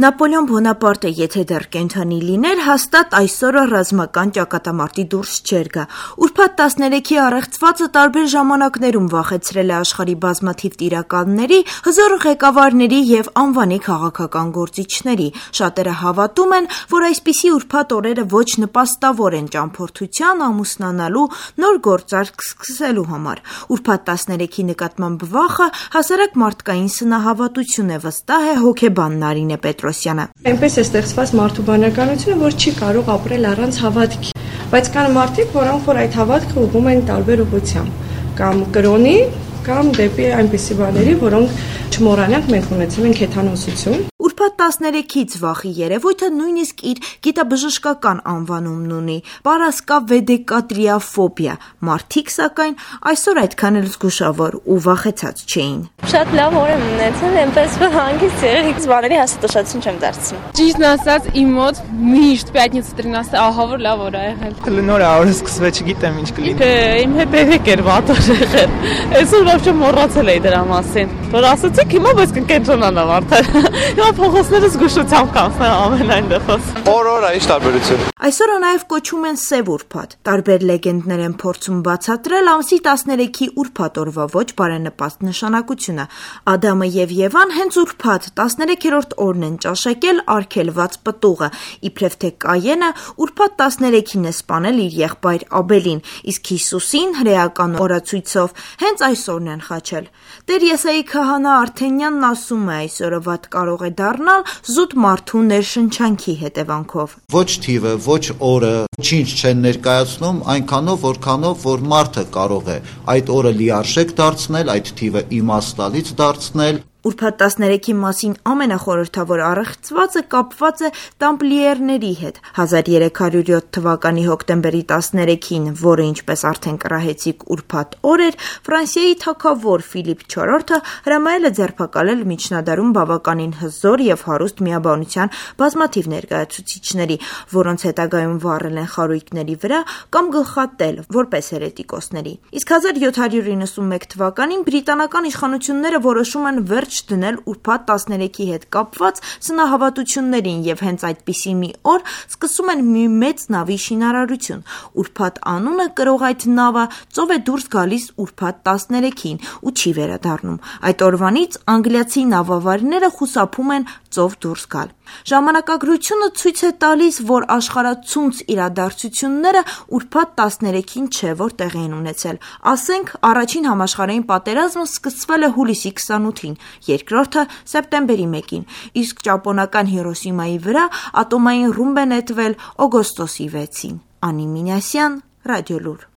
Նապոլեոն Բոնապարտը, եթե դեռ կենդանի լիներ, հաստատ այսօրը ռազմական ճակատամարտի դուրս չէր գա։ Ուրբաթ 13-ի առեղծվածը տարբեր ժամանակներում վախեցրել է աշխարհի բազմաթիվ տիրակալների, հզոր ղեկավարների եւ անվանի քաղաքական գործիչների։ Շատերը հավատում են, որ այսպիսի ուրբաթ օրերը ոչ նպաստավոր են ճամփորդության, ամուսնանալու, նոր գործարք սկսելու համար։ Ուրբաթ 13-ի նկատմամբ վախը հասարակ մարդկային սնահավատություն է, վստահ է հոգեբան Նարինե Պետրոսյանը։ Այնպես է ստեղծված մարդու բանականությունը, որ չի կարող ապրել առանց հավատքի, բայց կան մարդիկ, որոնք որ այդ հավատքը ուղղում են տարբեր ուղղությամբ, կամ կրոնի, կամ դեպի այնպիսի բաների, որոնք չմոռանանք, մենք ունեցել ենք հեթանոսություն։ Ուրբաթ 13-ից վախի երևույթը նույնիսկ իր գիտաբժշկական անվանումն ունի՝ պարասկավեդեկատրիաֆոբիա։ Մարդիկ, սակայն, այսօր այդքան էլ զգուշավոր ու վախեցած չէին։ Շատ լավ օր եմ ունեցել, այնպես որ հանգիստ եղեք, բաների հաստատություն չեմ դարձնում։ Ճիշտն ասած, իմ մոտ միշտ պյատնիցա 13-ը ահավոր լավ օր է եղել։ Նոր օրը սկսվել, չգիտեմ ինչ կլինի։ Իմ հետ երեք էր վատ օր եղել։ Այսօր ոչ մոռացել էի դրա մասին։ Որ ասացիք հիմա բայց կկենտրոնանամ արդեն։ Հիմա փողոցները զգուշությամբ կանցնեմ ամենայն դեպս։ Օր-օր ինչ տարբերություն։ Այսօրը նաև կոչում են Սև ուրբաթ։ Տարբեր լեգենդներ են փորձում բացատրել ամսի 13-ի ուրբաթ օրվա ոչ բարենպաստ նշանակությունը։ Ադամը եւ Եվան հենց ուրբաթ 13-րդ օրն են ճաշակել արգելված պտուղը, իբրև թե Կայենը ուրբաթ 13-ին է սպանել իր եղբայր Աբելին, իսկ Հիսուսին հրեական օրացույցով հենց այսօրն են խաչել։ Տեր Եսայի քահանա Արթենյանն ասում է, այսօրը վատ կարող է դառնալ զուտ մարդու ներշնչանքի հետևանքով։ Ոչ թիվը, ոչ օրը ինչ չեն ներկայացնում, այնքանով, որքանով որ մարդը կարող է այդ օրը լիարժեք դարձնել, այդ թիվը իմաստալից դարձնել։ Ուրբաթ 13-ի մասին ամենախորհրդավոր առեղծվածը կապված է տամպլիերների հետ։ 1307 թվականի հոկտեմբերի 13-ին, որը ինչպես արդեն կռահեցիք ուրբաթ օր էր, Ֆրանսիայի թագավոր Ֆիլիպ IV-ը հրամայել է ձերբակալել միջնադարում բավականին հզոր եւ հարուստ միաբանության բազմաթիվ ներկայացուցիչների, որոնց հետագայում վառել են խարույկների վրա կամ գլխատել որպես հերետիկոսների։ Իսկ 1791 թվականին բրիտանական իշխանությունները որոշում են վերջ դնել ուրբաթ 13-ի հետ կապված սնահավատություններին եւ հենց այդպիսի մի օր սկսում են մի մեծ նավի շինարարություն։ Ուրբաթ անունը կրող այդ նավը ծով է դուրս գալիս ուրբաթ 13-ին ու չի վերադառնում։ Այդ օրվանից անգլիացի նավավարիները խուսափում են ծով դուրս գալ։ Ժամանակագրությունը ցույց է տալիս, որ աշխարհացունց իրադարձությունները ուրբաթ 13-ին չէ, որ տեղի են ունեցել։ Ասենք, առաջին համաշխարհային պատերազմը սկսվել է հուլիսի 28-ին, երկրորդը սեպտեմբերի 1-ին, իսկ ճապոնական Հիրոսիմայի վրա ատոմային ռումբ է նետվել օգոստոսի 6-ին։ Անի Մինասյան, Ռադիոլուր։